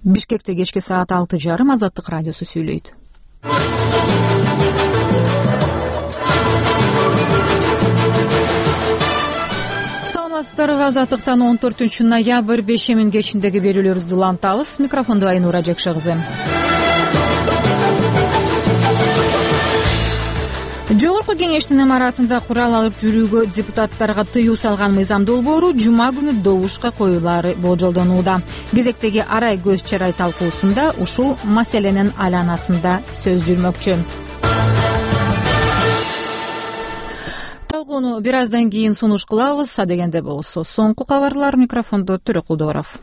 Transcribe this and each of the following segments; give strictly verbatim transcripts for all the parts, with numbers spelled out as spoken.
Бишкекте кечки саат алты жарым Азаттык радиосу сүйлөйт. Саламатсыздарбы? Азаттыктан он төртүнчү ноябрь бешемин кечиндеги берүүлөрүбүздү улантабыз. Микрофонду Айнура Жекшегизем. Жогорку кеңештин имаратында курал алып жүрүүгө депутаттарга тыюу салган мыйзам долбоору жума күнү добушка коюлаары болжолдонууда. Кезектеги арай көз чарай талкуусунда ушул маселенин айланасында сөз жүрмөкчү. Талкууну бир аздан кийин сунуш кылабыз. Адегенде болсо соңку кабарлар. Микрофондо Төрөкулдууров.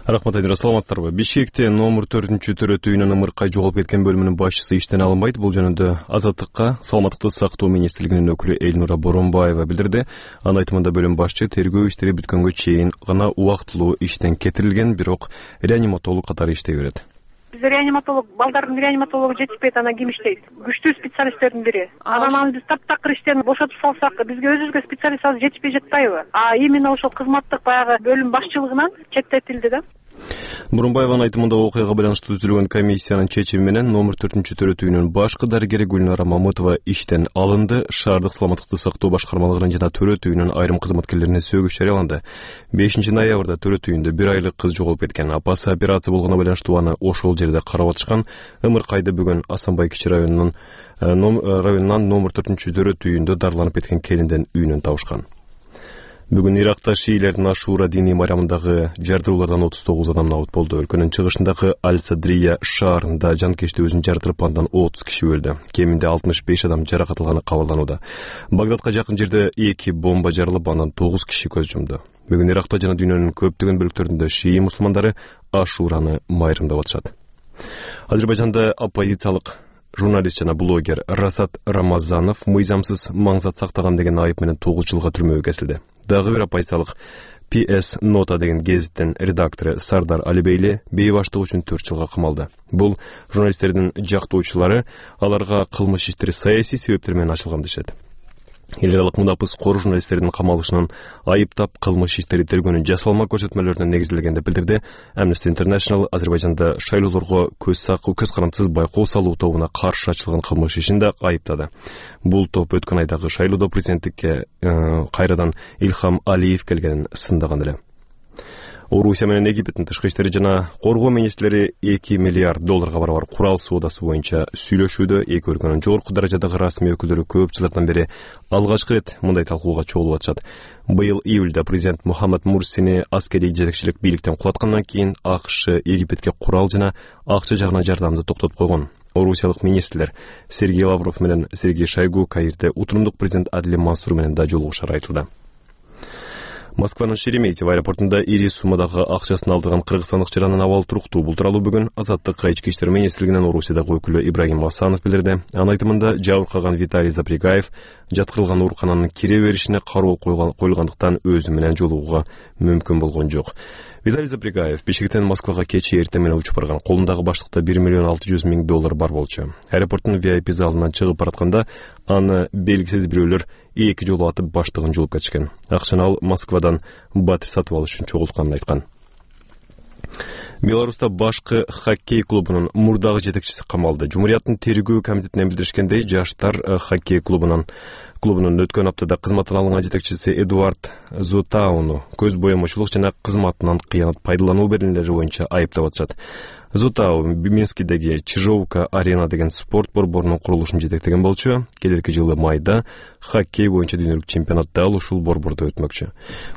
Рахмат, Айнура, саламатсыздарбы? Бишкекте номер төртүнчү төрөтүү үйүнүн ымыркай жоголуп кеткен бөлүмүнүн башчысы иштен алынбайт. Бул жөнүндө Азаттыкка Саламаттыкты сактоо министрлигинин өкүлү Элнура Боронбаева билдирди. Анын айтымында бөлүм башчы тергөө иштери бүткөнгө чейин гана убактылуу иштен кетирилген, бирок реаниматолог катары иштей берет. Биз реаниматолог, балдардын реаниматологу жетишпейт, анан ким иштейт? Күчтүү специалисттердин бири. Анан аны биз таптакыр иштен бошотуп салсак, бизге өзүбүзгө специалист азыр жетишпей жатпайбы? А именно ошол кызматтык баягы бөлүм башчылыгынан четтетилди да. Боронбаеванын айтымында окуяга байланыштуу түзүлгөн комиссиянын чечими менен номер төртүнчү төрөтүү үйүнүн башкы дарыгери Гүлнара Мамытова иштен алынды. Шаардык саламаттыкты сактоо башкармалыгынын жана төрөтүү үйүнүн айрым кызматкерлерине сөгүш жарыяланды. бешинчи ноябрда төрөтүү үйүндө бир айлык кыз жоголуп кеткен. Апасы операция болгону байланыштуу аны ошол жерде карап атышкан. Ымыркайды бүгүн Асанбай кичи районунун районунан номер төртүнчү төрөтүү үйүндө дарыланып кеткен келинден үйүнөн табышкан. Бүгүн Иракта шиилердин Ашура диний майрамындагы жардыруулардан отуз тогуз адам набыт болду. Өлкөнүн чыгышындагы Аль-Садрия шаарында жанкечти өзүн жардырып, андан отуз киши өлдү. Кеминде алтымыш беш адам жаракат алганы кабарланууда. Багдадка жакын жерде эки бомба жарылып, андан тогуз киши көз жумду. Бүгүн Иракта жана дүйнөнүн көптөгөн бөлүктөрүндө шии мусулмандары Ашураны майрамдап атышат. Азербайжанда оппозициялык журналист жана блогер Расат Рамазанов мыйзамсыз маңзат сактаган деген айып менен тогуз жылга түрмөгө кесилди. Дагы бир оппозициялык пи эс Нота деген гезиттин редактору Сардар Алибейли бейбаштык үчүн төрт жылга камалды. Бул журналисттердин жактоочулары аларга кылмыш иштери саясий себептер менен ачылган дешет. Эл аралык мунапыс кор журналисттердин камалышынын айыптап кылмыш иштери тергөөнүн жасалма көрсөтмөлөрүнө негизделген деп билдирди. Amnesty International Азербайжанда шайлоолорго көз сакуу көз карандысыз байкоо салуу тобуна каршы ачылган кылмыш ишин да айыптады. Бул топ өткөн айдагы шайлоодо президенттикке кайрадан Илхам Алиев келгенин сындаган эле. Орусия менен Египеттин тышкы иштери жана коргоо министрлери эки миллиард долларга барабар курал соодасы боюнча сүйлөшүүдө. Эки өлкөнүн жогорку даражадагы расмий өкүлдөрү көп жылдардан бери алгачкы ирет мындай талкууга чогулуп атышат. Быйыл июлда президент Мухаммад Мурсини аскерий жетекчилик бийликтен кулаткандан кийин АКШ Египетке курал жана акча жагынан жардамды токтотуп койгон. Орусиялык министрлер Сергей Лавров менен Сергей Шойгу Каирде утурумдук президент Адлим Мансур менен да жолугушары айтылды. Москванын Шереметьево аэропортунда ири суммадагы акчасын алдырган кыргызстандык жаранын абалы туруктуу. Бул тууралуу бүгүн Азаттыкка ички иштер министрлигинин Орусиядагы өкүлү Ибрагим Асанов билдирди. Анын айтымында жабыркаган Виталий Запрягаев жаткырылган оорукананын кире беришине кароо коюлгандыктан өзү менен жолугууга мүмкүн болгон жок. Виталий Запрягаев Бишкектен Москвага кечээ эртең менен учуп барган. Колундагы баштыкта бир миллион алты жүз миң доллар бар болчу. Аэропорттун ви ай пи залынан чыгып баратканда аны белгисиз бирөөлөр эки жолу атып баштыгын жулуп кетишкен. Акчаны ал Москвадан батир сатып алыш үчүн чогултканын айткан. Беларуста башкы хоккей клубунун мурдагы жетекчиси камалды. Жумурияттын тергөө комитетинен билдиришкендей, жаштар хоккей клубунун клубунун өткөн аптада кызматтан алынган жетекчиси Эдуард Зотауну көз боемочулук жана кызматынан кыянат пайдалануу беренелери боюнча айыптап атышат. Зотау Минскидеги Чижовка арена деген спорт борборунун курулушун жетектеген болчу. Келерки жылы майда хоккей боюнча дүйнөлүк чемпионат дал ушул борбордо өтмөкчү.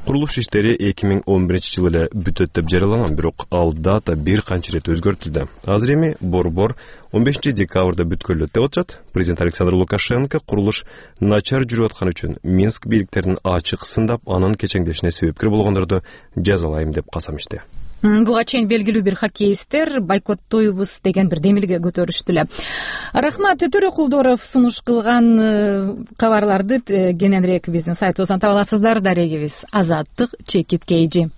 Курулуш иштери эки миң он биринчи жылы эле бүтөт деп жарыяланган, бирок ал дата бир канча ирет өзгөртүлдү. Азыр эми борбор он бешинчи декабрда бүткөлөт деп атышат. Президент Александр Лукашенко курулуш начар жүрүп аткан үчүн Минск бийликтерин ачык сындап, анын кечеңдешине себепкер болгондорду жазалайм деп касам ичти. Буга чейин белгилүү бир хоккеисттер бойкоттойбуз деген бир демилге көтөрүштү эле. Рахмат, Төрөкулдууров сунуш кылган кабарларды кененирээк биздин сайтыбыздан таба аласыздар. Дарегибиз Азаттык чекит кейжи.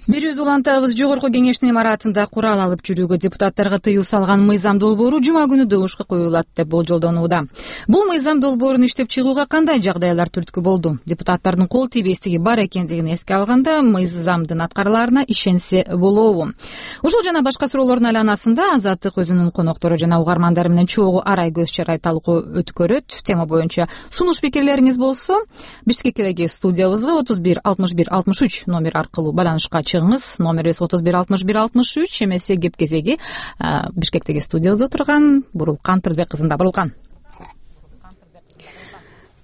Берүүбүздү улантабыз. Жогорку кеңештин имаратында курал алып жүрүүгө депутаттарга тыюу салган мыйзам долбоору жума күнү добушка коюлат деп болжолдонууда. Бул мыйзам долбоорун иштеп чыгууга кандай жагдайлар түрткү болду? Депутаттардын кол тийбестиги бар экендигин эске алганда мыйзамдын аткарылаарына ишенсе болобу? Ушул жана башка суроолордун айланасында Азаттык өзүнүн коноктору жана угармандары менен чогуу арай көз чарай талкуу өткөрөт. Тема боюнча сунуш пикирлериңиз болсо Бишкектеги студиябызга отуз бир алтымыш бир алтымыш үч номер аркылуу байланышка чыгыңыз. Номерибиз отуз бир алтымыш бир алтымыш үч. Эмесе кеп кезеги Бишкектеги студиябызда турган Бурулкан Турдбек кызында. Бурулкан.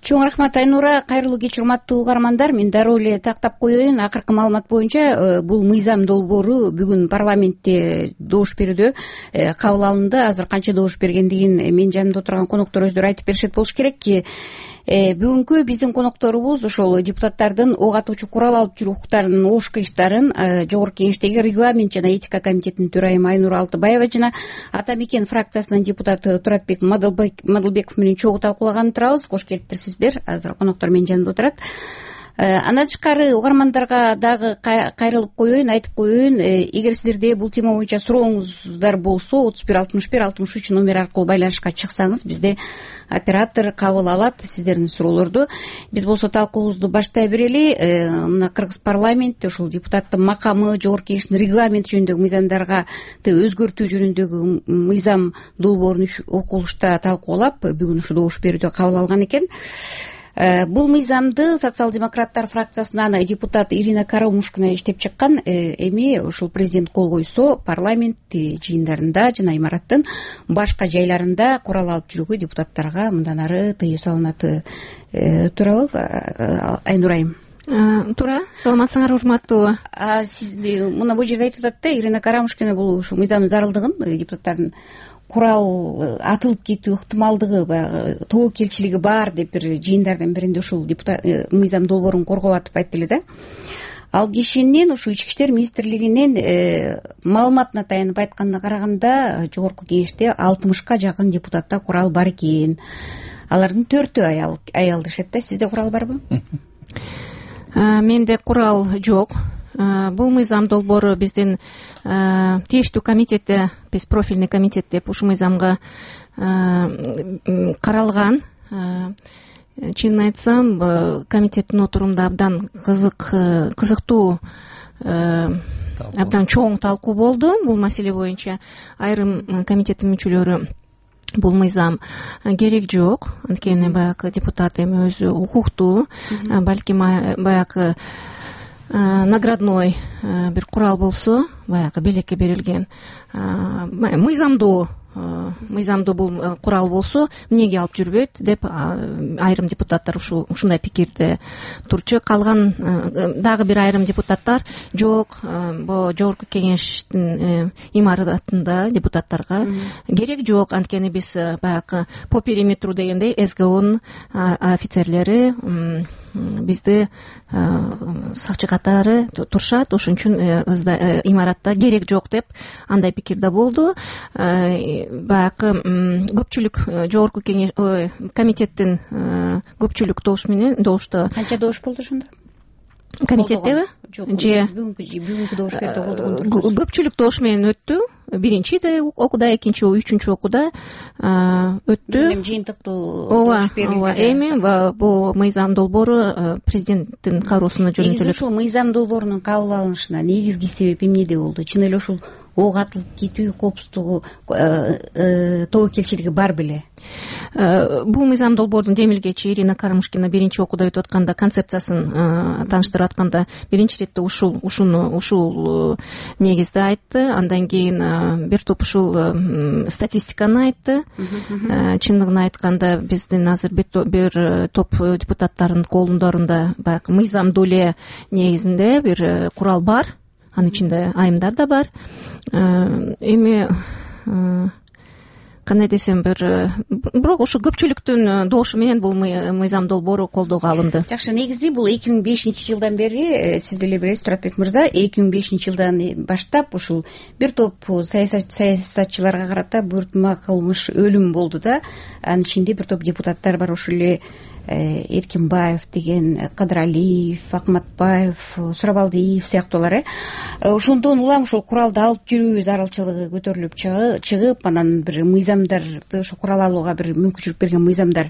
Чоң рахмат Айнура. Кайрылуу кеч урматтуу угармандар. Мен дароо эле тактап коеюн. Акыркы маалымат боюнча бул мыйзам долбоору бүгүн парламентте добуш берүүдө кабыл алынды. Азыр канча добуш бергендигин менин жанымда отурган коноктор өздөрү айтып беришет болуш керек. Бүгүнкү биздин конокторубуз ошол депутаттардын ок атуучу курал алып жүрүү укуктарынын ош кыйыштарын Жогорку кеңештеги регламент жана этика комитетинин төрайымы Айнура Алтыбаева жана Ата Мекен фракциясынын депутаты Туратбек Мадылбеков менен чогуу талкуулаган турабыз. Кош келиптирсиздер. Азыр коноктор менин жанымда отурат. Андан тышкары угармандарга дагы кайрылып коеюн, айтып коеюн. Эгер сиздерде бул тема боюнча сурооңуздар болсо отуз бир алтымыш бир алтымыш үч номер аркылуу байланышка чыксаңыз, бизде оператор кабыл алат сиздердин суроолорду. Биз болсо талкуубузду баштай берели. Мына Кыргыз парламенти ушул депутаттын макамы, Жогорку кеңештин регламент жөнүндөгү мыйзамдарга өзгөртүү жөнүндөгү мыйзам долбоорун окулушта талкуулап, бүгүн ушу добуш берүүдө кабыл алган экен. Бул мыйзамды социал-демократтар фракциясынан депутат Ирина Карамушкина иштеп чыккан. Эми ушул президент кол койсо, парламент жыйындарында жана имараттын башка жайларында курал алып жүрүүгө депутаттарга мындан ары тыюу салынат. Туурабы, Айнурайым? Туура. Саламатсыңар, урматтуу. Сиз мына бул жерде айтып атат да, Ирина Карамушкина бул ушул мыйзамдын зарылдыгын, депутаттардын курал атылып кетүү ыктымалдыгы, баягы тобокелчилиги бар деп бир жыйындардын биринде ушул депутат мыйзам долбоорун коргоп атып айтты эле да. Ал кишинин ушу Ички иштер министрлигинин маалыматына таянып айтканына караганда, Жогорку кеңеште алтымышка жакын депутатта курал бар экен. Алардын төртөө аял аял дешет да. Сизде курал барбы? Менде курал жок. Бул мыйзам долбоору биздин тийиштүү комитетте, биз профильный комитет деп ушул мыйзамга каралган. Чынын айтсам, комитеттин отурумда абдан кызык, кызыктуу, абдан чоң талкуу болду бул маселе боюнча. Айрым комитеттин мүчөлөрү бул мыйзам керек жок, анткени баягы депутат эми өзү укуктуу, балким баягы наградной бир курал болсо, баягы белекке берилген мыйзамдуу мыйзамдуу бул курал болсо, эмнеге алып жүрбөйт деп айрым депутаттар ушул ушундай пикирде турчу. Калган дагы бир айрым депутаттар жок, бул Жогорку кеңештин имаратында депутаттарга керек жок, анткени биз баягы по периметру дегендей СГОнун офицерлери бизди сакчы катары турушат, ошон үчүн имаратта керек жок деп андай пикирде болду. Баягы көпчүлүк Жогорку кеңеш комитеттин көпчүлүк добуш менен добушта. Канча добуш болду ошондо? Комитеттеби? Жок, бүгүнкү бүгүнкү добуш берди болду. Көпчүлүк добуш менен өттү. Биринчи да окуда, экинчи, үчүнчү окуда өттү. Эми жыйынтыктуу добуш берилди. Эми бул мыйзам долбоору президенттин кароосуна жөнөтүлөт. Негизи ушул мыйзам долбоорунун кабыл алынышына негизги себеп эмнеде болду? Чын эле ушул ок атылып кетүү коопсуздугу, тобокелчилиги бар беле? Бул мыйзам долбоордун демилгечи Ирина Карамушкина биринчи окууда өтүп атканда концепциясын тааныштырып атканда биринчи ирет ушул ушуну ушул негизде айтты. Андан кийин бир топ ушул статистиканы айтты. Чындыгын айтканда биздин азыр бир топ депутаттардын колундорунда баягы мыйзамдуу эле негизинде бир курал бар. Анын ичинде айымдар да бар. Эми кандай десем, бир бирок ушу көпчүлүктүн добушу менен бул мыйзам долбоору колдоого алынды. Жакшы, негизи бул эки миң бешинчи жылдан бери, сиз деле билесиз Туратбек мырза, эки миң бешинчи жылдан баштап ушул бир топ саясатчыларга карата буйртма кылмыш, өлүм болду да. Анын ичинде бир топ депутаттар бар, ошол эле Эркинбаев деген, Кадыралиев, Акматбаев, Сурабалдиев сыяктуулар. э Ошондон улам ошол куралды алып жүрүү зарылчылыгы көтөрүлүп чыгып, анан бир мыйзамдарды, ошо курал алууга бир мүмкүнчүлүк берген мыйзамдар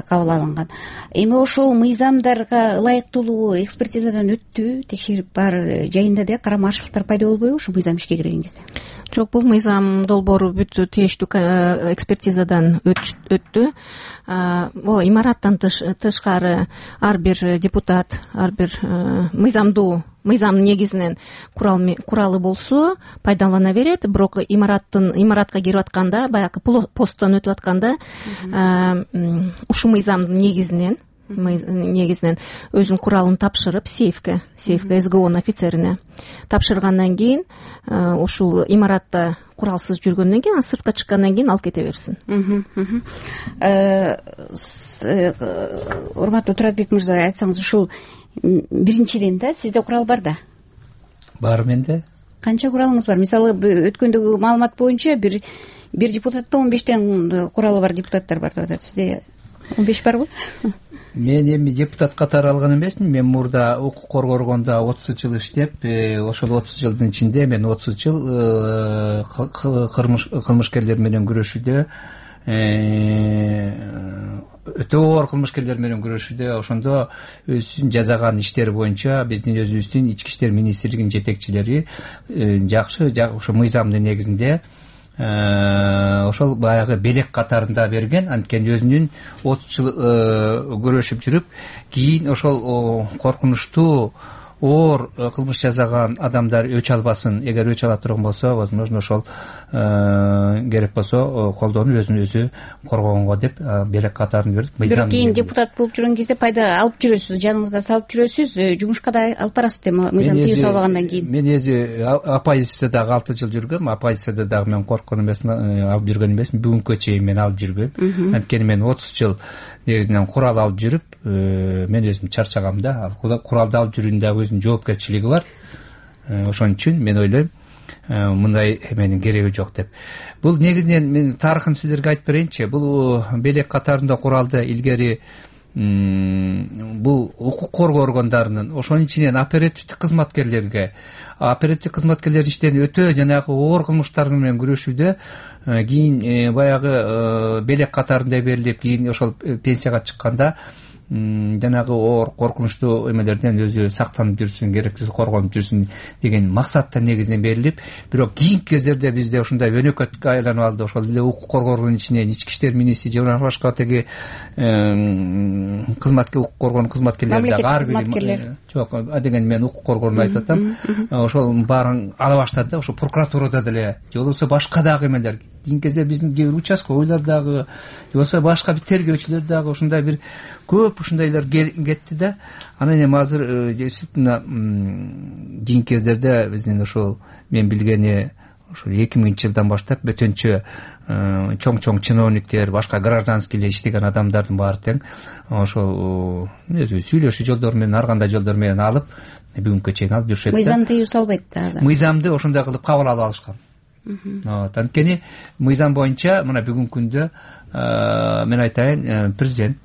кабыл алынган. Эми ошол мыйзамдарга ылайыктуулугу экспертизадан өттү, текшерип бар жайында де карама-каршылыктар пайда болбойбу ушул мыйзам ишке кирген кезде? Жок, бул мыйзам долбоору бүт тийиштүү экспертизадан өттү. Могу имараттан тышкары ар бир депутат, ар бир мыйзамдуу мыйзамдын негизинен куралы болсо пайдалана берет. Бирок имараттын имаратка кирип атканда, баягы посттон өтүп атканда ушул мыйзамдын негизинен негизинен өзүнүн куралын тапшырып сейфке, сейфке СГОнун офицерине тапшыргандан кийин ушул имаратта куралсыз жүргөндөн кийин, сыртка чыккандан кийин алып кете берсин. Урматтуу Туратбек мырза, айтсаңыз, ушул биринчиден да сизде курал бар да? Бар менде. Канча куралыңыз бар? Мисалы, өткөндөгү маалымат боюнча бир бир депутатта он бештен куралы бар депутаттар бар деп атат. Сизде он беш барбы? Мен эми депутат катары алган эмесмин. Мен мурда укук коргогондо отуз жыл иштеп, ошол отуз жылдын ичинде мен отуз жыл кылмышкерлер менен күрөшүүдө, өтө оор кылмышкерлер менен күрөшүүдө, ошондо өзүнүн жасаган иштери боюнча биздин өзүбүздүн ички иштер министрлигинин жетекчилери жакшы ошо мыйзамдын негизинде ошол баягы белек катарында берген. Анткени өзүнүн отуз жыл күрөшүп жүрүп, кийин ошол коркунучтуу оор кылмыш жасаган адамдар өч албасын. Эгер өч ала турган болсо, возможно, ошол керек болсо колдонуп өзүн өзү коргогонго деп белек катарын берип, бирок кийин депутат болуп жүргөн кезде пайда алып жүрөсүз, жаныңызда салып жүрөсүз, жумушка да алып барасыз деп, мыйзам тыюу салбагандан кийин. Мен өзү оппозициядагы алты жыл жүргөм. Оппозицияда дагы мен корккон эмесмин, алып жүргөн эмесмин. Бүгүнкү чейин мен алып жүрбөйм. Анткени мен отуз жыл негизинен курал алып жүрүп, мен өзүм чарчагам да. Куралды алып жүрүүнүн дагы өзүнүн жоопкерчилиги бар. Ошон үчүн мен ойлойм, мындай эменин кереги жок деп. Бул негизинен мен тарыхын сиздерге айтып берейинчи. Бул белек катарында куралды илгери бул укук коргоо органдарынын, ошонун ичинен оперативдик кызматкерлерге, оперативдик кызматкерлер иштен өтө жанагы оор кылмыштар менен күрөшүүдө кийин баягы белек катарында берилип, кийин ошол пенсияга чыкканда жанагы оор коркунучтуу эмелерден өзү сактанып жүрсүн, керектүүсү коргонуп жүрсүн деген максатта негизинен берилип, бирок кийинки кездерде бизде ушундай өнөкөткө айланып алды. Ошол эле укук коргоонун ичинен ички иштер министри же башка теги кызматка укук коргоонун кызматкерлери дагы ар бир жок, адеген мен укук коргоону айтып атам. Ошол баарын ала баштады да. Ошо прокуратурада деле же болбосо башка дагы эмелер, кийинки кезде биздин кээ бир участковыйлар дагы, же болбосо башка бир тергөөчүлөр дагы ушундай бир көп ушундайлар кетти да. Анан эми азыр действительно кийинки кездерде биздин ошол мен билгени ошол эки миңинчи жылдан баштап бөтөнчө чоң-чоң чиновниктер, башка гражданскийлер иштеген адамдардын баары тең ошол өзү сүйлөшүү жолдору менен, ар кандай жолдор менен алып бүгүнкү чейин алып жүрүшөт да. Мыйзам тыюу салбайт да. Мыйзамды ошондой кылып кабыл алып алышкан. Анткени мыйзам боюнча мына бүгүнкү күндө мен айтайын, президент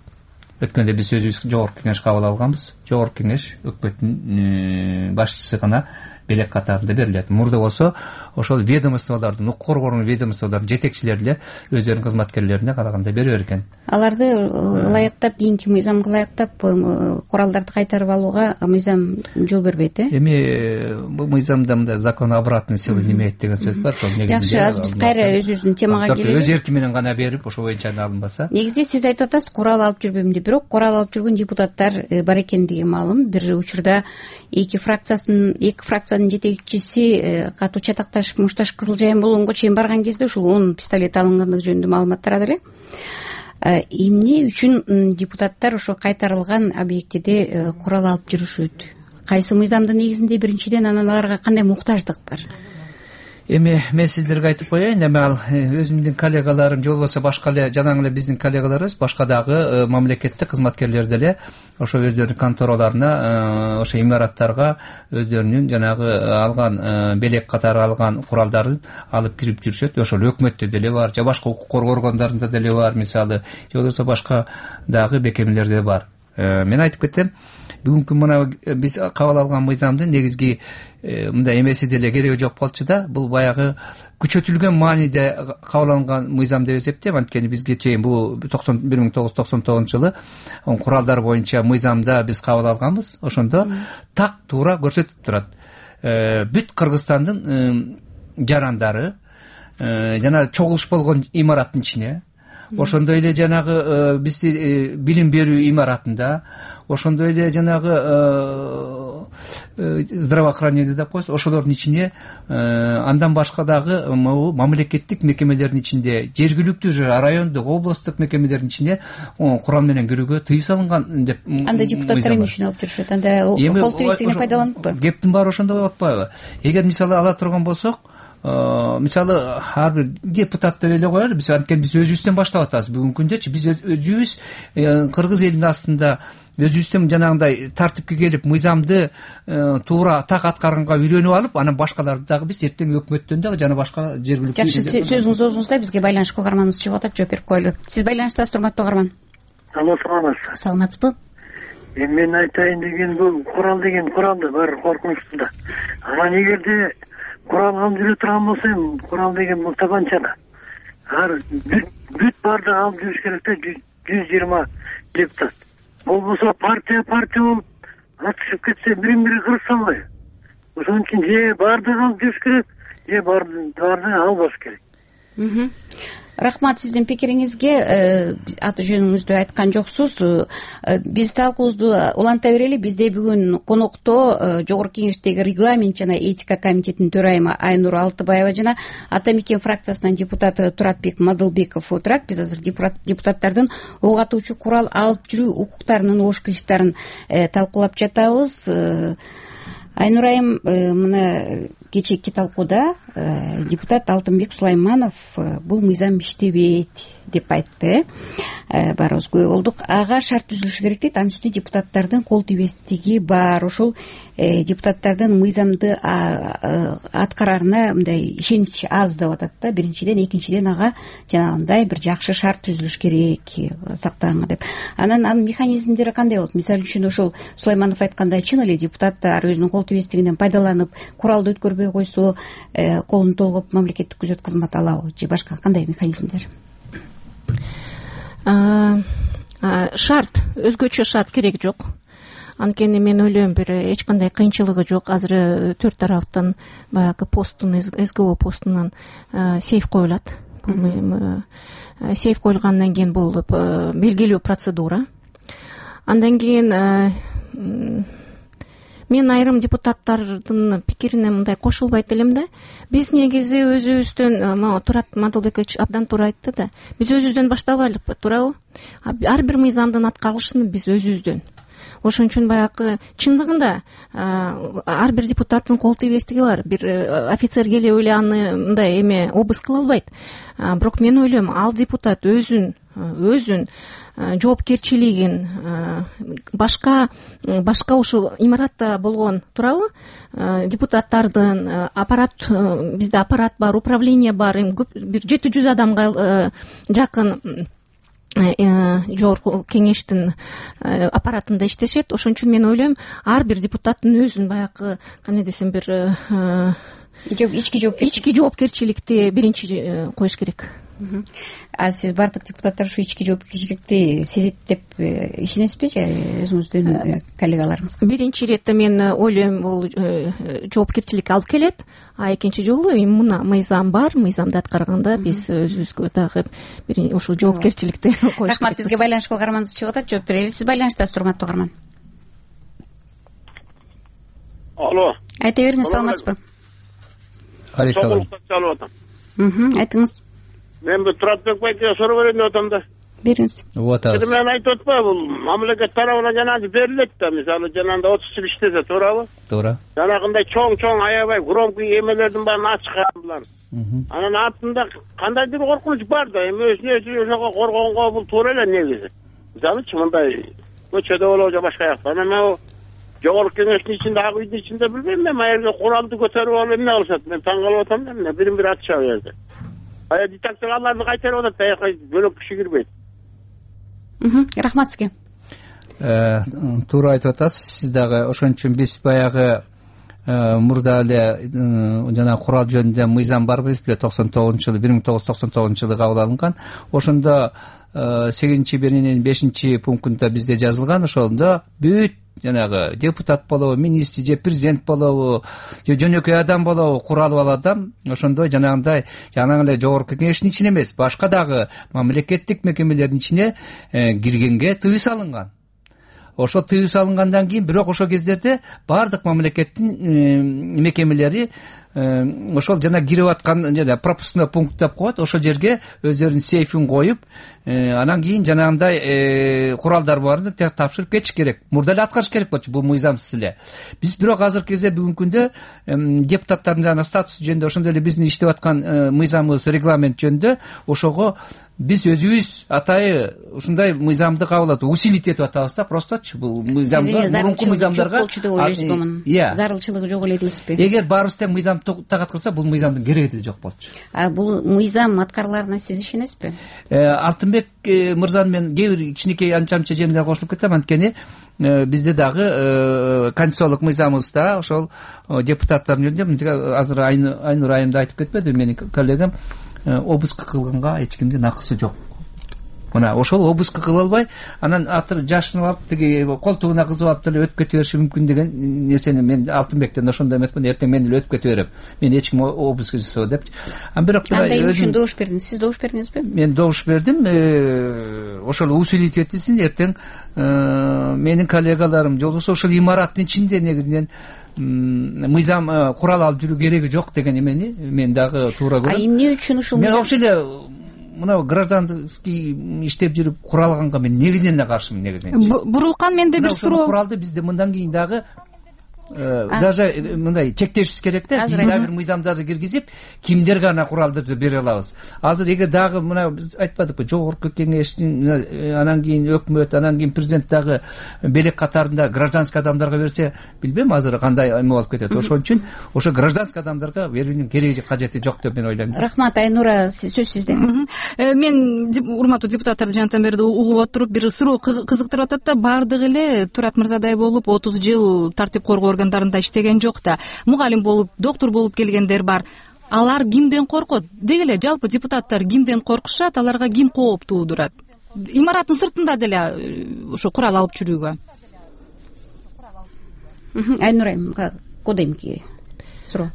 өткөндө биз өзүбүз жогорку кеңеш кабыл алганбыз. Жогорку кеңеш өкмөттүн башчысы гана белек катарында берилет. Мурда болсо ошол ведомстволордун, укук коргоонун ведомстволордун жетекчилери эле өздөрүнүн кызматкерлерине караганда бере берген. Аларды ылайыктап, кийинки мыйзамга ылайыктап куралдарды кайтарып алууга мыйзам жол бербейт, э? Эми бул мыйзамда мындай закон обратной силы немейт деген сөз бар. Ошол негизинде жакшы, азыр биз кайра өзүбүздүн темага келели. Өз эрки менен гана берип, ошо боюнча алынбаса. Негизи сиз айтып атасыз, курал алып жүрбөйм деп, бирок курал алып жүргөн депутаттар бар экендиги маалым. Бир учурда эки фракциясын, эки фракциянын жетекчиси катуу чатакташып, мушташ кызыл жайын болгонго чейин барган кезде ушул он пистолет алынгандыгы жөнүндө маалымат тарады эле. Эмне үчүн депутаттар ошо кайтарылган объектиде курал алып жүрүшөт? Кайсы мыйзамдын негизинде биринчиден, анан аларга кандай муктаждык бар? эми мен сиздерге айтып коеюн, эми ал өзүмдүн коллегаларым же болбосо башка эле жанагы эле биздин коллегаларыбыз башка дагы мамлекеттик кызматкерлер деле ошо өздөрүнүн контораларына, ошо имараттарга өздөрүнүн жанагы алган белек катары алган куралдарын алып кирип жүрүшөт. Ошол өкмөттө деле бар, же башка укук коргоо органдарында деле бар, мисалы, же болбосо башка дагы бекемелерде бар. Мен айтып кетем, бүгүнкү мына биз кабыл алган мыйзамдын негизги мындай эмеси деле кереги жок болчу да. Бул баягы күчөтүлгөн мааниде кабыл алынган мыйзам деп эсептейм. Анткени бизге чейин бул бир миң тогуз жүз токсон тогузунчу жылы куралдар боюнча мыйзамда биз кабыл алганбыз. Ошондо так туура көрсөтүп турат. Бүт Кыргызстандын жарандары жана чогулуш болгон имараттын ичине, ошондой эле жанагы бизди билим берүү имаратында, ошондой эле жанагы здравоохранение деп коебуз, ошолордун ичине, андан башка дагы мамлекеттик мекемелердин ичинде, жергиликтүү же райондук, областтык мекемелердин ичине курал менен кирүүгө тыюу салынган деп. Анда депутаттар эмне үчүн алып жүрүшөт? Анда кол тийбестигине пайдаланыппы? Кептин баары ошондо болуп атпайбы? Эгер мисалы ала турган болсок, мисалы ар бир депутат деп эле коелу, биз анткени биз өзүбүздөн баштап атабыз. Бүгүнкү күндөчү биз өзүбүз кыргыз элинин астында өзүбүздөн жанагындай тартипке келип, мыйзамды туура так аткарганга үйрөнүп алып, анан башкаларды дагы биз эртең өкмөттөн дагы жана башка жергиликтүү. Жакшы, сөзүңүз оозуңузда, бизге байланышка угарманыбыз чыгып атат, жооп берип коелу. Сиз байланыштасыз, урматтуу угарман. Алло, саламатсызбы? Саламатсызбы? Эми мен айтайын деген, бул курал деген куралды баары коркунучтуу да. Анан эгерде курал алып жүрө турган болсо, эми курал деген бул табанча. Ар бүт баардыгы алып жүрүш керек да, жүз жыйырма депутат. Болбосо партия партия болуп атышып кетсе, бирин бири кырып салбайбы? Ошон үчүн же баардыгы алып жүрүш керек, же баардыгы албаш керек. Рахмат сиздин пикириңизге. Аты жөнүңүздү айткан жоксуз. Биз талкуубузду уланта берели. Бизде бүгүн конокто Жогорку Кеңештеги регламент жана этика комитетинин төрайымы Айнура Алтыбаева жана Ата Мекен фракциясынын депутаты Туратбек Мадылбеков отурат. Биз азыр депутаттардын ок атуучу курал алып жүрүү укуктарынын ош кылыштарын талкуулап жатабыз. Айнурайым, мына кечээки талкууда депутат Алтынбек Сулайманов бул мыйзам иштебейт деп айтты. Баарыбыз күбө болдук. Ага шарт түзүлүшү керек дейт. Анын үстүнө депутаттардын кол тийбестиги бар. Ошол депутаттардын мыйзамды аткарарына мындай ишенич аз деп атат да. Биринчиден, экинчиден ага жанагындай бир жакшы шарт түзүлүш керек сактаганга деп. Анан анын механизмдери кандай болот? Мисалы үчүн ошол Сулайманов айткандай, чын эле депутаттар өзүнүн кол тийбестигинен пайдаланып куралды өткөрбөй койсо, колун толгоп мамлекеттик күзөт кызматы алабы же башка кандай механизмдер? Шарт, өзгөчө шарт керек жок. Анткени мен ойлойм, бир эч кандай кыйынчылыгы жок. Азыр төрт тараптан баягы посттун, СГО постунан сейф коюлат. Сейф коюлгандан кийин бул белгилүү процедура. Андан кийин мен айрым депутаттардын пикирине мындай кошулбайт элем да. Биз негизи өзүбүздөн, Турат Мадылбекович абдан туура айтты да, биз өзүбүздөн баштабайлыкпы, туурабы? Ар бир мыйзамдын аткарылышын биз өзүбүздөн. Ошон үчүн баягы чындыгында ар бир депутаттын кол тийбестиги бар. Бир офицер келип эле аны мындай эме обыск кыла албайт. Бирок мен ойлойм, ал депутат өзүн өзүн жоопкерчилигин башка башка ушул имаратта болгон, туурабы, депутаттардын аппарат, бизде аппарат бар, управление бар, бир жети жүз адамга жакын Жогорку Кеңештин аппаратында иштешет. Ошон үчүн мен ойлойм, ар бир депутаттын өзүн баягы, кандай десем, бир ички жоопкерчиликти биринчи коюш керек. А сиз бардык депутаттар ушу ички жоопкерчиликти сезет деп ишенесизби же өзүңүздүн коллегаларыңызга? Биринчи иретте мен ойлойм, бул жоопкерчилик алып келет, а экинчи жолу эми мына мыйзам бар, мыйзамды аткарганда биз өзүбүзгө дагы бир ушул жоопкерчиликти коюш керек. Рахмат, бизге байланышка угарманыбыз чыгып атат, жооп берели. Сиз байланыштасыз, урматтуу угарман. Алло. Айта бериңиз, саламатсызбы? Алейкум салам. Чалып атам. Мм, айтыңыз. Мен бул Туратбек байке суроо берейин деп атам да. бериңиз. вот эми мен айтып атпайбы, бул мамлекет тарабынан жанагы берилет да, мисалы жанагындай отуз жыл иштесе, туурабы? туура. Жанагындай чоң-чоң аябай громкий эмелердин баарын ачкан булар. Анан артында кандайдыр коркунуч бар да, эми өзүнө өзү ошого коргонго бул туура эле негизи. Мисалычы мындай көчөдө болобу же башка жакта. Анан жогорку кеңештин ичинде, ак үйдүн ичинде билбейм, эми аерге куралды көтөрүп алып эмне кылышат, мен таң калып атам, эмне бирин-бири атышат ал жерде. Ая детекторларды кайтарып атат, аяка бөлөк киши кирбейт. Рахмат сизге. Туура айтып атасыз, сиз дагы ошон үчүн биз баягы мурда эле жана курал жөнүндө мыйзам бар эмес беле, токсон тогузунчу жылы, бир миң тогуз жүз токсон тогузунчу жылы кабыл алынган. Ошондо сегизинчи биринин бешинчи пунктунда бизде жазылган, ошондо бүт жанагы депутат болобу, министр же президент болобу, же жөнөкөй адам болобу, куралы бар адам ошондой жанагындай жанагы эле жогорку кеңештин ичине эмес, башка дагы мамлекеттик мекемелердин ичине киргенге тыюу салынган. Ошо тыюу салынгандан кийин бирок ошол кездерде баардык мамлекеттин мекемелери ошол жана кирип аткан жана пропускной пункт деп коет, ошол жерге өздөрүнүн сейфин коюп, анан кийин жанагындай куралдар барын тапшырып кетиш керек. Мурда эле аткарыш керек болчу, бул мыйзамсыз эле. Биз бирок азыркы кезде бүгүнкү күндө депутаттардын жана статусу жөнүндө, ошондой эле биздин иштеп аткан мыйзамыбыз, регламент жөнүндө ошого биз өзүбүз атайы ушундай мыйзамды кабыл алып, усилить этип атабыз да, просточу. Бул мыйзамды мурунку мыйзамдарга болчу деп ойлойсузбу мунун? Зарылчылыгы жок эле дейсизби? Эгер баарыбыз тең мыйзам так аткарса, бул мыйзамдын кереги деле жок болчу. А бул мыйзам аткарыларына сиз ишенесизби? Алтынбек мырзаны мен кээ бир кичинекей анча-мынча жерине кошулуп кетем, анткени бизде дагы конституциялык мыйзамыбызда ошол депутаттар жөнүндө азыр Айнур айым да айтып кетпеди менин коллегам, обыск кылганга эч кимдин акысы жок. Мына ошол обыск кыла албай, анан атыр жашынып алып, тиги колтугуна кызып алып деле өтүп кете бериши мүмкүн деген нерсени мен Алтынбектен ошондой эметмин, эртең мен эле өтүп кете берем. Мен эч ким обыск жасабайт депчи. Ан бирок андай үчүн добуш бердиңиз. Сиз добуш бердиңизби? Мен добуш бердим. Ошол усилить этилсин, эртең менин коллегаларым же болбосо ошол имараттын ичинде негизинен мыйзам курал алып жүрүү кереги жок деген эмени мен дагы туура көрөм. А эмне үчүн ушул мен вообще эле мына гражданский иштеп жүрүп куралганга мен негизинен эле каршымын, негизинен. Бурулкан, менде бир суроо. Куралды бизде мындан кийин дагы даже мындай чектешибиз керек да, дагы бир мыйзамдарды киргизип, кимдерге гана куралдарды бере алабыз. Азыр эгер дагы мына биз айтпадыкпы, жогорку кеңештин, анан кийин өкмөт, анан кийин президент дагы белек катарында гражданский адамдарга берсе, билбейм азыр кандай эме болуп кетет. Ошон үчүн ошо гражданский адамдарга берүүнүн кереги кажети жок деп мен ойлойм. Рахмат. Айнура, сөз сизде. Мен урматтуу депутаттарды жантан бери угуп отуруп бир суроо кызыктырып атат да, баардыгы эле Турат мырзадай болуп отуз жыл тартип коргоо органдарында иштеген жок да, мугалим болуп, доктор болуп келгендер бар. Алар кимден коркот? Деги эле жалпы депутаттар кимден коркушат? Аларга ким кооп туудурат? Имараттын сыртында деле ошо курал алып жүрүүгө. Айнурайым, кодемки суроо.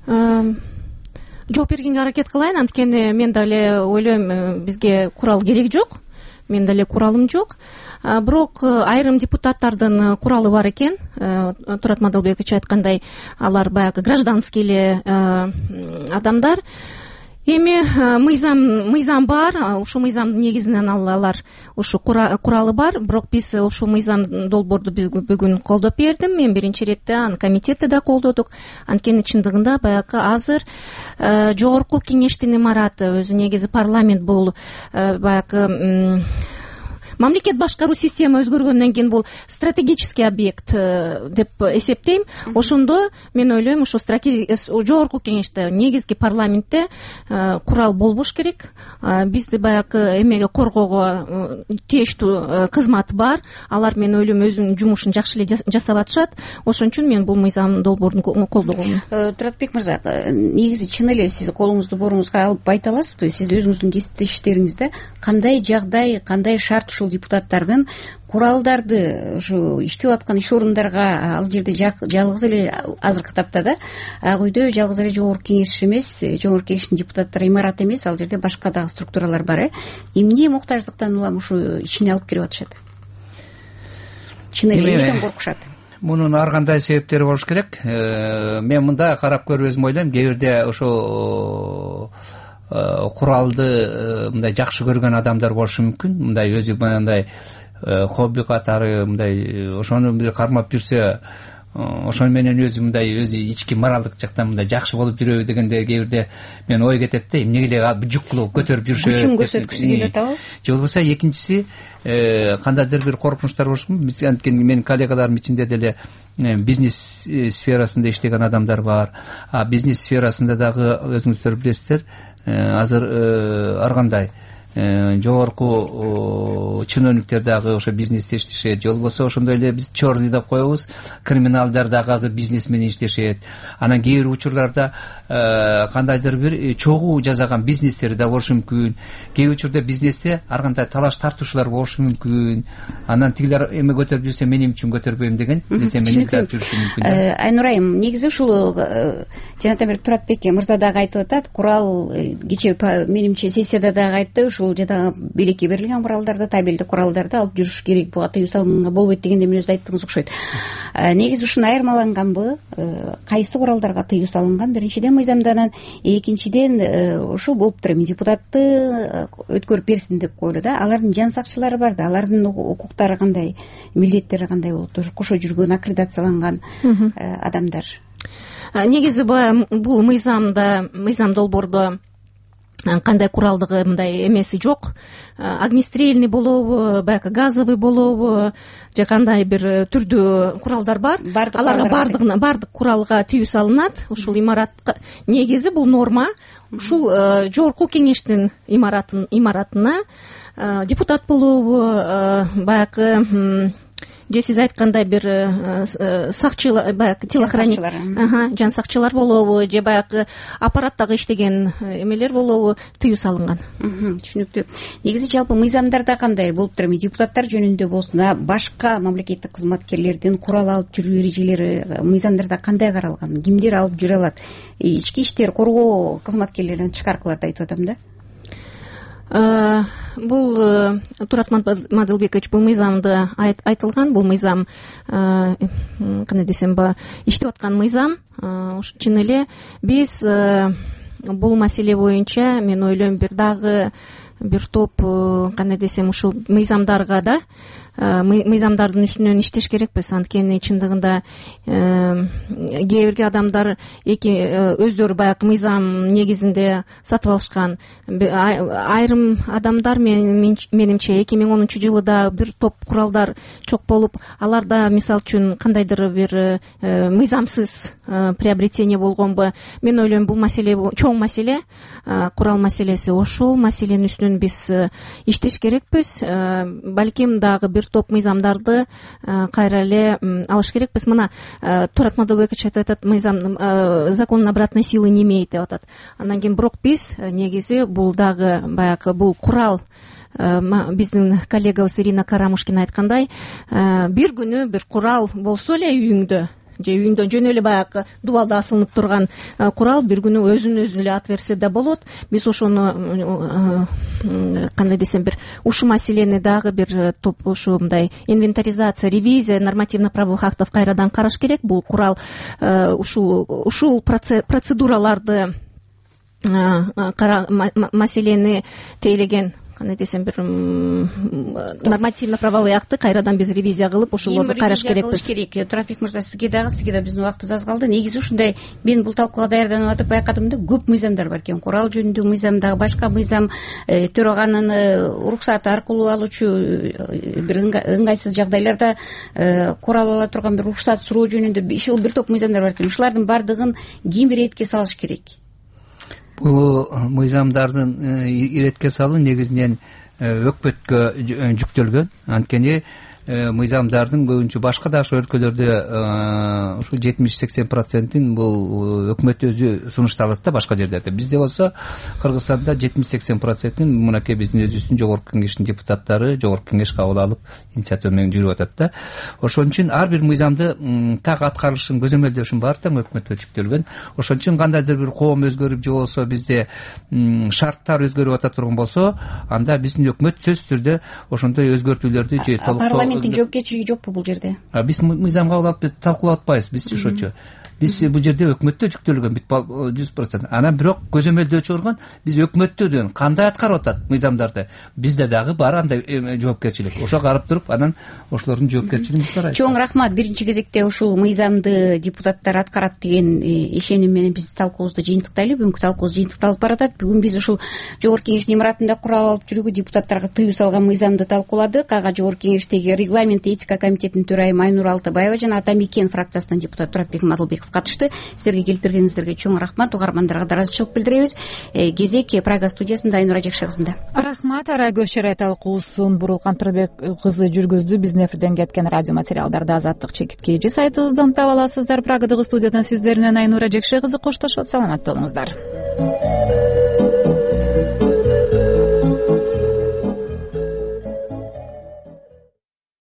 Жооп бергенге аракет кылайын, анткени мен деле ойлойм, бизге курал кереги жок. Мен деле куралым жок. Бирок айрым депутаттардын куралы бар экен. Турат Мадалбекович айткандай, алар баягы гражданский эле адамдар. Эми мыйзам мыйзам бар, ушул мыйзамдын негизинен алар ушу куралы бар, бирок биз ушул мыйзам долбоорду бүгүн колдоп бердим. Мен биринчи иретте аны комитетте да колдодук. Анткени чындыгында баягы азыр жогорку кеңештин имараты, өзү негизи парламент бул баягы мамлекет башкаруу система өзгөргөндөн кийин бул стратегический объект деп эсептейм. Ошондо мен ойлойм, ошо жогорку кеңеште, негизги парламентте курал болбош керек. Бизди баягы эмеге коргоого тийиштүү кызмат бар. Алар, мен ойлойм, өзүнүн жумушун жакшы эле жасап атышат. Ошон үчүн мен бул мыйзам долбоорун колдогом. Туратбек мырза, негизи чын эле сиз колуңузду бооруңузга алып айта аласызбы? Сиз өзүңүздүн иштериңизде кандай жагдай, кандай шарт ушул депутаттардын куралдарды ушу иштеп аткан иш орундарга ал жерде жалгыз эле азыркы тапта да ак үйдө жалгыз эле жогорку кеңеш эмес, жогорку кеңештин депутаттары имараты эмес, ал жерде башка дагы структуралар бар. э Эмне муктаждыктан улам ушу ичине алып кирип атышат? Чын эле эмнеден коркушат? Мунун ар кандай себептери болуш керек. Мен мында карап көрүп өзүм ойлойм, кээ бирде ошо куралды мындай жакшы көргөн адамдар болушу мүмкүн, мындай өзү мындай хобби катары мындай ошону бир кармап жүрсө, ошону менен өзү мындай өзү ички моралдык жактан мындай жакшы болуп жүрөбү дегенде кээ бирде мен ой кетет да, эмнеге эле жүк кылып көтөрүп жүрүшөт, күчүн көрсөткүсү келип атабы. Же болбосо экинчиси кандайдыр бир коркунучтар болушу мүмкүн. Анткени менин коллегаларым ичинде деле бизнес сферасында иштеген адамдар бар. А бизнес сферасында дагы өзүңүздөр билесиздер, азыр ар кандай жогорку чиновниктер дагы ошо бизнесте иштешет, же болбосо ошондой эле биз черный деп коебуз, криминалдар дагы азыр бизнес менен иштешет. Анан кээ бир учурларда кандайдыр бир чогуу жасаган бизнестери да болушу мүмкүн. Кээ бир учурда бизнесте ар кандай талаш тартуушуулар болушу мүмкүн. Анан тигилер эме көтөрүп жүрсө мен эмне үчүн көтөрбөйм деген нерсе менен да жүрүшү мүмкүн. Айнур айым, негизи ушул жанатан бери Туратбек мырза дагы айтып атат, курал кечээ менимче сессияда дагы айтты, ушул жада бийликке берилген куралдарды, табелдик куралдарды алып жүрүш керек, буга тыюу салганга болбойт деген эмнеңизди айттыңыз окшойт. Негизи ушуну айырмаланганбы? Кайсы куралдарга тыюу салынган? Биринчиден мыйзамданан, экинчиден ушул болуптур эми депутатты өткөрүп берсин деп коелу да. Алардын жан сакчылары бар да, алардын укуктары кандай, милдеттери кандай болот? Кошо жүргөн, аккредитацияланган адамдар. Негизи бул мыйзамда, мыйзам долбоордо кандай куралдыгы мындай эмеси жок. Огнестрельный болобу, баягы газовый болобу, же кандай бир түрдүү куралдар бар. Аларга бардыгына бардык куралга тыюу салынат. Ушул имаратка негизи бул норма ушул жогорку кеңештин имаратын имаратына депутат болобу, баягы же сиз айткандай бир сакчылар, баягы телохранник, жан сакчылар болобу, же баягы аппараттагы иштеген эмелер болобу тыюу салынган. Түшүнүктүү. Негизи жалпы мыйзамдарда кандай болуптур эми депутаттар жөнүндө болсун, башка мамлекеттик кызматкерлердин курал алып жүрүү эрежелери мыйзамдарда кандай каралган? Кимдер алып жүрө алат? Ички иштер коргоо кызматкерлеринин тышкаркыларды айтып атам да. Бул Турат Мадылбекович бул мыйзамды айтылган, бул мыйзам кандай десем ба, иштеп аткан мыйзам. Чын эле биз бул маселе боюнча мен ойлойм бир дагы бир топ кандай десем ушул мыйзамдарга да мыйзамдардын үстүнөн иштеш керекпиз. Анткени чындыгында кээ бирге адамдар эки өздөрү баягы мыйзам негизинде сатып алышкан. Айрым адамдар менимче эки миң онунчу жылы да бир топ куралдар чок болуп, аларда мисалы үчүн кандайдыр бир мыйзамсыз приобретение болгонбу. Мен ойлойм бул маселе чоң маселе, курал маселеси. Ошол маселенин үстүнөн биз иштеш керекпиз. Балким дагы бир топ мыйзамдарды кайра эле алыш керекпиз. Мына Турат Мадылбекович айтып атат, мыйзам закон обратной силы не имеет деп атат. Андан кийин бирок биз негизи бул дагы баягы бул курал, биздин коллегабыз Ирина Карамушкина айткандай, бир күнү бир курал болсо эле үйүңдө, же үйүндө жөн эле баягы дубалда асылынып турган курал бир күнү өзүн өзү эле ат берсе да болот. Биз ошону кандай десем бир ушул маселени дагы бир топ ушу мындай инвентаризация, ревизия нормативно-правовых актов кайрадан караш керек. Бул курал ушул ушул процедураларды маселени тейлеген кандай десем бир нормативно-правовой акты кайрадан биз ревизия кылып ошолорду караш керекпиз. Туратбек мырза, сизге дагы сизге да биздин убактыбыз аз калды. Негизи ушундай мен бул талкууга даярданып атып байкадым да, көп мыйзамдар бар экен. Курал жөнүндө мыйзам, дагы башка мыйзам, төраганын уруксаты аркылуу алуучу бир ыңгайсыз жагдайларда курал ала турган бир уруксат суроо жөнүндө ушул бир топ мыйзамдар бар экен. Ушулардын бардыгын ким иретке салыш керек? Бул мыйзамдардын иретке салуу негизинен өкмөткө жүктөлгөн. Анткени мыйзамдардын көбүнчө башка да ошо өлкөлөрдө ушул жетимиш сексен процентин бул өкмөт өзү сунушталат да башка жерлерде. Бизде болсо Кыргызстанда жетимиш сексен процентин мынакей биздин өзүбүздүн жогорку кеңештин депутаттары жогорку кеңеш кабыл алып инициатива менен жүрүп атат да. Ошон үчүн ар бир мыйзамды так аткарылышын көзөмөлдөшүн баары тең өкмөткө жүктөлгөн. Ошон үчүн кандайдыр бир коом өзгөрүп же болбосо бизде шарттар өзгөрүп ата турган болсо, анда биздин өкмөт сөзсүз түрдө ошондой өзгөртүүлөрдү же толуктоо жоопкерчилиги жокпу бул жерде? Биз мыйзам кабыл алып талкуулап атпайбыз, бизчи ошочу. биз бул жерде өкмөттө жүктөлгөн бүт жүз процент анан бирок көзөмөлдөө чыгарган биз өкмөттө деген кандай аткарып атат мыйзамдарды бизде дагы бар андай жоопкерчилик ошого карап туруп анан ошолордун жоопкерчилигин биз карайбыз. Чоң рахмат. Биринчи кезекте ушул мыйзамды депутаттар аткарат деген ишеним менен биз талкуубузду жыйынтыктайлы. Бүгүнкү талкуубуз жыйынтыкталып баратат. Бүгүн биз ушул жогорку кеңештин имаратында курал алып жүрүүгө депутаттарга тыюу салган мыйзамды талкууладык. Ага жогорку кеңештеги регламент этика комитетинин төрайымы Айнура Алтыбаева жана Ата Мекен фракциясынын депутаты Туратбек Мадылбеков катышты. Сиздерге келип бергениңиздерге чоң рахмат. Угармандарга да ыраазычылык билдиребиз. Кезек Прага студиясында Айнура Жакшы кызында. Рахмат. Ара көз чарай талкуусун Бурулкан Турбек кызы жүргүздү. Биздин эфирден кеткен радио материалдарды Азаттык чекит эже сайтыбыздан таба аласыздар. Прагадагы студиядан сиздер менен Айнура Жакшы кызы коштошот. Саламатта болуңуздар.